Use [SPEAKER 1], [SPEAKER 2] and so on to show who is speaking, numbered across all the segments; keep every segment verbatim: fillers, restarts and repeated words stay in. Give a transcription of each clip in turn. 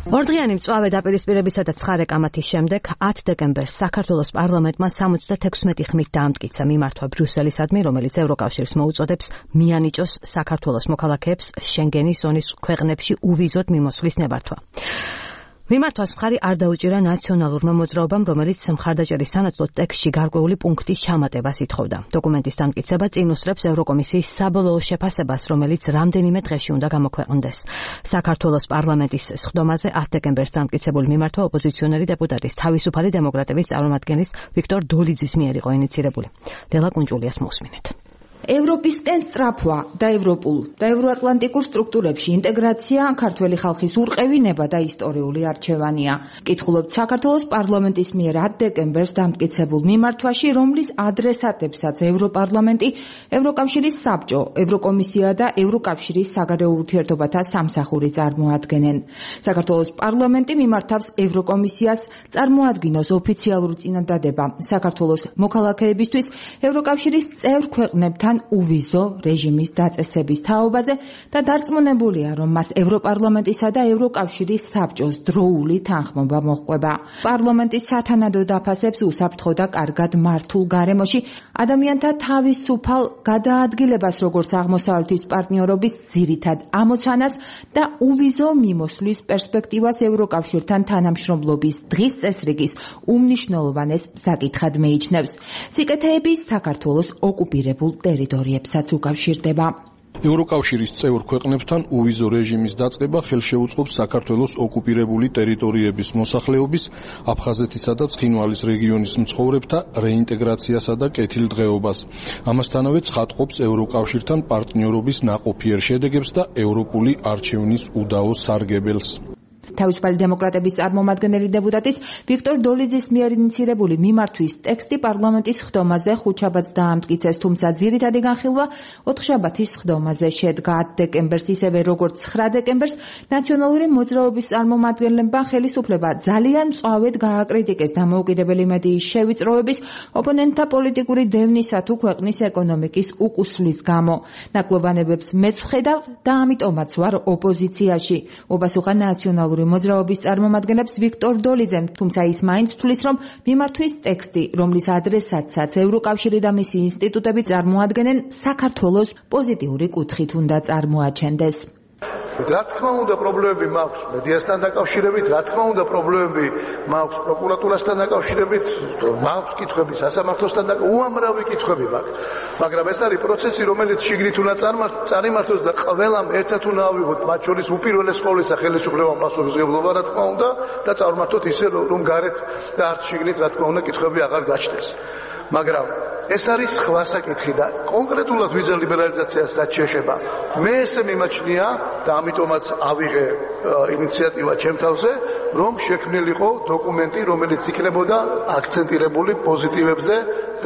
[SPEAKER 1] ორდღიანი მწვავე დაპირისპირებისა და ცხარე კამათის შემდეგ ათი დეკემბერს საქართველოს პარლამენტმა სამოცდათექვსმეტი ხმით დაამტკიცა მიმართვა ბრიუსელისადმი, რომელიც ევროკავშირს მოუწოდებს მიანიჭოს საქართველოს მოქალაქეებს შენგენის ზონის ქვეყნებში უვიზოდ მიმოსვლის ნებართვა. მიმართვას მხარი არ დაუჭირა ნაციონალურმა მოძრაობამ, რომელიც მხარდაჭერის სანაცვლოდ ტექსტში გარკვეული პუნქტის ჩამატებას ითხოვდა. დოკუმენტის დამტკიცება წინ უსწრებს ევროკომისიის საბოლოო შეფასებას, რომელიც რამდენიმე დღეში უნდა გამოქვეყნდეს. საქართველოს პარლამენტის სხდომაზე ათი დეკემბერს დამტკიცებული მიმართვა ოპოზიციონერი დეპუტატის თავისუფალი დემოკრატების წარმომადგენლის ვიქტორ დოლიძის მიერ იყო ინიცირებული. ლელა კუნჭულიას მოусმინეთ.
[SPEAKER 2] ევროპისკენ სწრაფვა და ევროპულ და ევროატლანტიკურ სტრუქტურებში ინტეგრაცია ქართველი ხალხის ურყევინება და ისტორიული არჩევანია. კითხულობთ საქართველოს პარლამენტის მიერ ათი დეკემბერს დამტკიცებულ მიმართვაში, რომლის ადრესატებსაც ევროპარლამენტი, ევროკავშირის საბჭო, ევროკომისია და ევროკავშირის საგარეო ურთიერთობათა სამსახური წარმოადგენენ. საქართველოს პარლამენტი მიმართავს ევროკომისიას წარმოადგინოს ოფიციალური წინადადება საქართველოს მოქალაქეებისთვის ევროკავშირის წევრ ქვეყნებთან უვიზო რეჟიმის დაწესების თაობაზე და დარწმუნებულია, რომ მას ევროპარლამენტისა და ევროკავშირის საბჭოს დროული თანხმობა მოჰყვება. პარლამენტის სათანადო დაფასებს უსაფრთხო და კარგად მართულ გარემოში ადამიანთა თავისუფალ გადაადგილებას, როგორც აღმოსავლეთის პარტნიორობის ძირითად ამოცანას და უვიზო მიმოსვლის პერსპექტივას ევროკავშირთან თანამშრომლობის დღის წესრიგის უმნიშვნელოვანეს საკითხად მეიჩნევს. სიკეთეები საქართველოს ოკუპირებულ ტერიტორიებსაც უკავშირდება.
[SPEAKER 3] ევროკავშირის წევრ ქვეყნებთან უვიზო რეჟიმის დაწყება ხელშეუწყობს საქართველოს ოკუპირებული ტერიტორიების მოსახლეობის, აფხაზეთისა და ცხინვალის რეგიონის მცხოვრებთა რეინტეგრაციასა და კეთილდღეობას. ამასთანავე ცხადყოფს ევროკავშირთან პარტნიორობის ნაყოფიერ შედეგებს და ევროპული არჩევნის უდაო სარგებელს.
[SPEAKER 2] თავისუფალი დემოკრატების წარმომადგენელი დეპუტატის ვიქტორ დოლიძის მიერ ინიცირებული მიმართვის ტექსტი პარლამენტის სხდომაზე ხუთშაბათს დაამტკიცეს, თუმცა ძირითადი განხილვა ოთხშაბათის სხდომაზე შედგა. ათი დეკემბერს, ისევე როგორც ცხრა დეკემბერს, ნაციონალური მოძრაობის წარმომადგენლებმა ხელისუფლება ძალიან მწვავედ გააკრიტიკეს დამოუკიდებელი მედიის შევიწროების, ოპონენტთა პოლიტიკური დევნისა თუ ქვეყნის ეკონომიკის უკუსვლის გამო. ნაკლობანებებს მეც ვხედავ და ამიტომაც ვარ ოპოზიციაში. ოპასუხა ნაციონალური მოძრაობის წარმომადგენლებს ვიქტორ დოლიძემ, თუმცა ის მაინც თვლის, რომ მიმართვის ტექსტი, რომლის ადრესატსაც ევროკავშირი და მისი ინსტიტუტები წარმოადგენენ, საქართველოს პოზიტიური კუთხით უნდა წარმოაჩენდეს.
[SPEAKER 4] რა თქმა უნდა პრობლემები მაქვს მედიასთან დაკავშირებით, რა თქმა უნდა პრობლემები მაქვს პროკურატურასთან დაკავშირებით, მაქვს კითხვები სასამართლოსთან და უამრავი კითხვები მაქვს. მაგრამ ეს არის პროცესი, რომელიც შიგნით უნდა წარიმართოს და ყველამ ერთად უნდა ავიღოთ, მათ შორის უპირველეს ყოვლისა ხელისუფლებამ პასუხისმგებლობა, რა თქმა უნდა, და წარმართოთ ისე, რომ გარეთ და არც შიგნით, რა თქმა უნდა, კითხვები აღარ გაჩნდეს. მაგრამ ეს არის სხვა საკითხი და კონკრეტულად ვიზა ლიბერალიზაციას რაც შეეხება, მე ესე მიმაჩნია და ამიტომაც ავიღე ინიციატივა ჩემ თავზე, რომ შექმნილიყო დოკუმენტი, რომელიც იქნებოდა აქცენტირებული პოზიტივებზე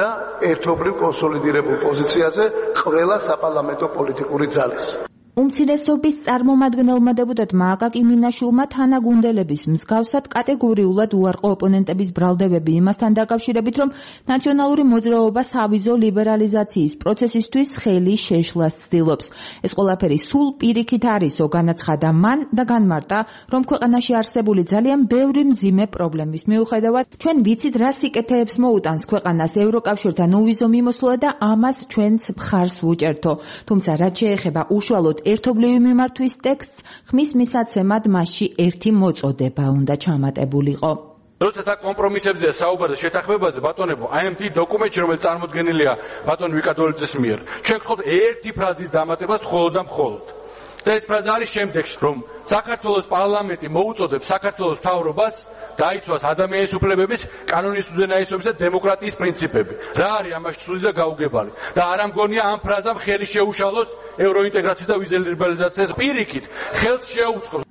[SPEAKER 4] და ერთობლივ კონსოლიდირებულ პოზიციაზე ყველა საპარლამენტო პოლიტიკური ძალის.
[SPEAKER 2] უმცირესობის წარმომადგენელმა დეპუტატმა აკაკი მინაშვილმა თანაგუნდელების მსგავსად კატეგორიულად უარყო ოპონენტების ბრალდებები იმასთან დაკავშირებით, რომ ნაციონალური მოძრაობა სავიზო ლიბერალიზაციის პროცესისთვის ხელი შეშლას ცდილობს. ეს ყველაფერი სულ პირიქით არისო, განაცხადა მან და განმარტა, რომ ქვეყანაში არსებული ძალიან ბევრი მძიმე პრობლემის მიუხედავად, ჩვენ ვიცით რა სიკეთეებს მოუტანს ქვეყანას ევროკავშირთან უვიზო მიმოსვლა და ამას ჩვენც მხარს ვუჭერთო. თუმცა რაც შეეხება უშუალოდ ერთობლივი მიმართვის ტექსტს, ხმის მისაცემად მასში ერთი მოწოდება უნდა ჩამატებულიყო.
[SPEAKER 5] როცა და კომპრომისებზე საუბარზე შეთანხმებაზე ბატონებო, აი ამ დიდ დოკუმენტში, რომელიც წარმოდგენილია ბატონ ვიკა დოლიძის მიერ, ჩვენ გხდით ერთი ფრაზის დამატებას მხოლოდ და მხოლოდ. და ეს ფრაზა არის შემდეგში, რომ საქართველოს პარლამენტი მოუწოდებს საქართველოს მთავრობას დაიცვას ადამიანის უფლებების, კანონის უზენაესობის და დემოკრატიის პრინციპები. რა არის ამაში სული და გაუგებარი? და არ ამგონია ამ ფრაზამ ხელი შეუშალოს ევროინტეგრაციის და ვიზა ლიბერალიზაციას პირიქით, ხელს შეუწყოს.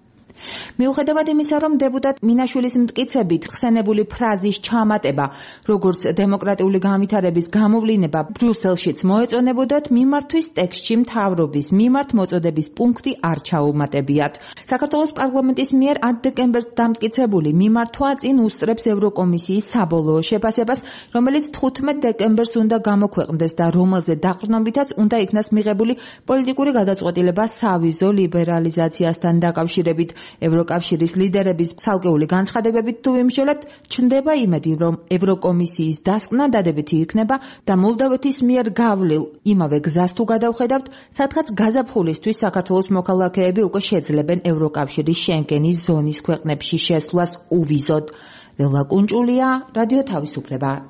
[SPEAKER 2] მიუხედავად იმისა, რომ დეპუტატ მინაშვილის მტკიცებით ხსენებული ფრაზის ჩამატება, როგორც დემოკრატიული განვითარების გამოვლინება ბრიუსელშიც მოეწონებოდათ, მიმართვის ტექსტში მთავრობის მიმართ მოწოდების პუნქტი არ ჩაუმატებიათ. საქართველოს პარლამენტის მიერ ათი დეკემბერს დამტკიცებული მიმართვა წინ უსწრებს ევროკომისიის საბოლოო შეფასებას, რომელიც თხუთმეტ დეკემბერს უნდა გამოქვეყნდეს და რომელზე დაყრდნობითაც უნდა იქნას მიღებული პოლიტიკური გადაწყვეტილება სავიზო ლიბერალიზაციასთან დაკავშირებით. ევროკავშირის ევროკავშირის ლიდერების ცალკეული განცხადებებით თუ ვიმსჯელებთ, ჩნდება იმედი, რომ ევროკომისიის დასკვნა დადებითი იქნება და მოლდოვეთის მიერ გავლილ იმავე გზას თუ გადავხედავთ, სადღაც გაზაფხულისთვის საქართველოს მოქალაქეები უკვე შეძლებენ ევროკავშირის შენგენის ზონის ქვეყნებში შესვლას უვიზოდ. ველა კუნჭულია, რადიო თავისუფლება.